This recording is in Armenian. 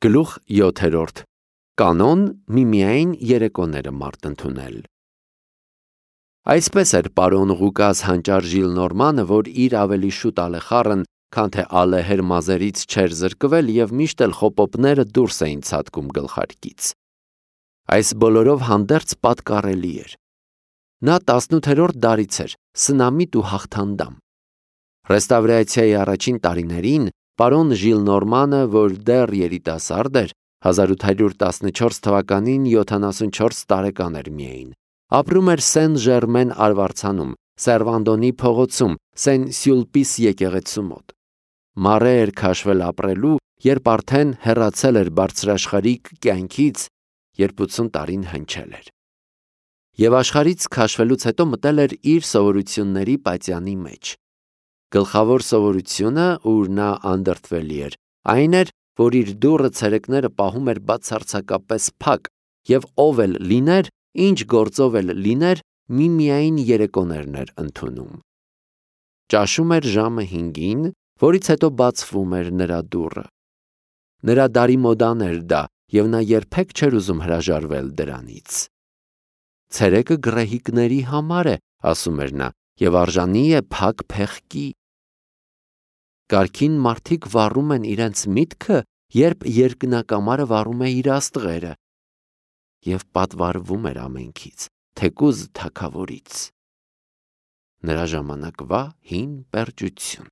Գլուխ 7. Կանոն միմիայն երեկոները մարդ ընդունել։ Այսպես էր պարոն Ղուկաս հանճար Ժիլնորմանը, որ իր ավելի շուտ ալեխառն, քան թե ալեհեր մազերից չէր զրկվել և միշտ էլ խոպոպները դուրս էին ցատկում գլխարկից։ Այս բոլորով հանդերձ պատկառելի էր։ Նա 18-րդ դարից էր, սնամիտ ու հաղթանդամ։ Ռեստավրացիայի առաջին տարիներին պարոն Ժիլնորմանը, որ դեռ երիտասարդ էր, 1814 թվականին 74 տարեկան էր միայն, ապրում էր Սեն-Ժերմեն արվարձանում, Սերվանդոնի փողոցում, Սեն-Սյուլպիս եկեղեցու մոտ։ Մարե էր քաշվել ապրելու, երբ արդեն հեռացել էր բարձրաշխարհիկ կյանքից, երբ 80 տարին հնչել էր։ Եվ աշխարհից քաշվելուց հետո մտել էր իր սովորությունների պատյանի մեջ։ Գլխավոր սովորությունը, ուր նա անդրդվելի էր, այն էր, որ իր դուռը ցերեկները պահում էր բացարձակապես փակ, և ով էլ լիներ, ինչ գործով էլ լիներ, միմիայն երեկոներն էր ընդունում։ Ճաշում էր ժամը 5-ին, որից հետո բացվում էր նրա դուռը։ Նրա դարի մոդան էր դա, և նա երբեք չէր ուզում հրաժարվել դրանից։ Ցերեկը գռեհիկների համար է, ասում էր նա, և արժանի է փակ փեղկի։ Կարգին մարդիկ վառում են իրենց միտքը, երբ երկնակամարը վառում է իր աստղերը, և պատվարվում էր ամենքից, թեկուզ թագավորից։ Նրա ժամանակվա հին պերճություն։